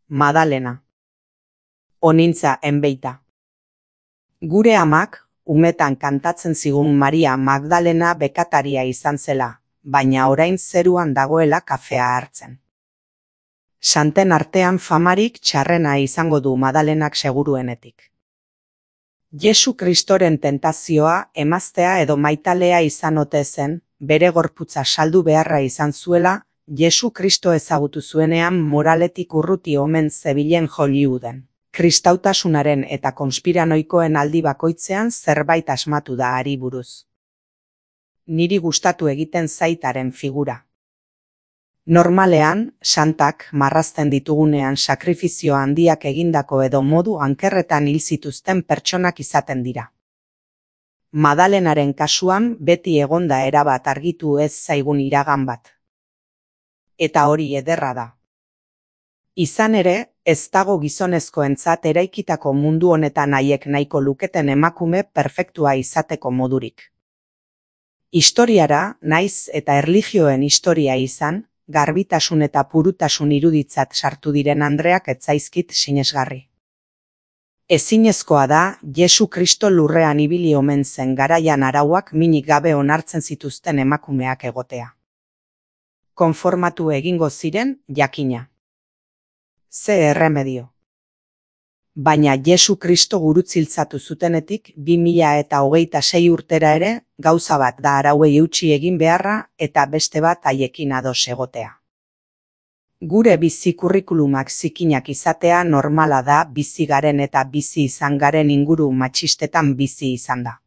Madalena. Onintza enbeita. Gure amak, umetan kantatzen zigun Maria Magdalena bekataria izan zela, baina orain zeruan dagoela kafea hartzen. Santen artean famarik txarrena izango du Madalenak seguruenetik. Jesu Kristoren tentazioa emaztea edo maitalea izan ote zen, bere gorputza saldu beharra izan zuela, Jesu Kristo ezagutu zuenean moraletik urruti omen zebilen Hollywooden. Kristautasunaren eta konspiranoikoen aldi bakoitzean zerbait asmatu da hari buruz. Niri gustatu egiten zaitaren figura. Normalean, santak marrazten ditugunean sakrifizio handiak egindako edo modu ankerretan hil zituzten pertsonak izaten dira. Madalenaren kasuan beti egonda erabat argitu ez zaigun iragan bat. Eta hori ederra da. Izan ere, ez dago gizonezkoentzat eraikitako mundu honetan haiek nahiko luketen emakume perfektua izateko modurik. Historiara, naiz eta erlijioen historia izan, garbitasun eta purutasun iruditzat sartu diren andreak ez zaizkit sinesgarri. Ezinezkoa da, Jesu Kristo lurrean ibili omen zen garaian arauak minik gabe onartzen zituzten emakumeak egotea. Konformatu egingo ziren, jakina. Ze erremedio. Baina Jesu Kristo gurutziltzatu zutenetik 2026 urtera ere, gauza bat da arauei eutsi egin beharra eta beste bat haiekin ados egotea. Gure bizi kurrikulumak zikinak izatea normala da bizi garen eta bizi izan garen inguru matxistetan bizi izan da.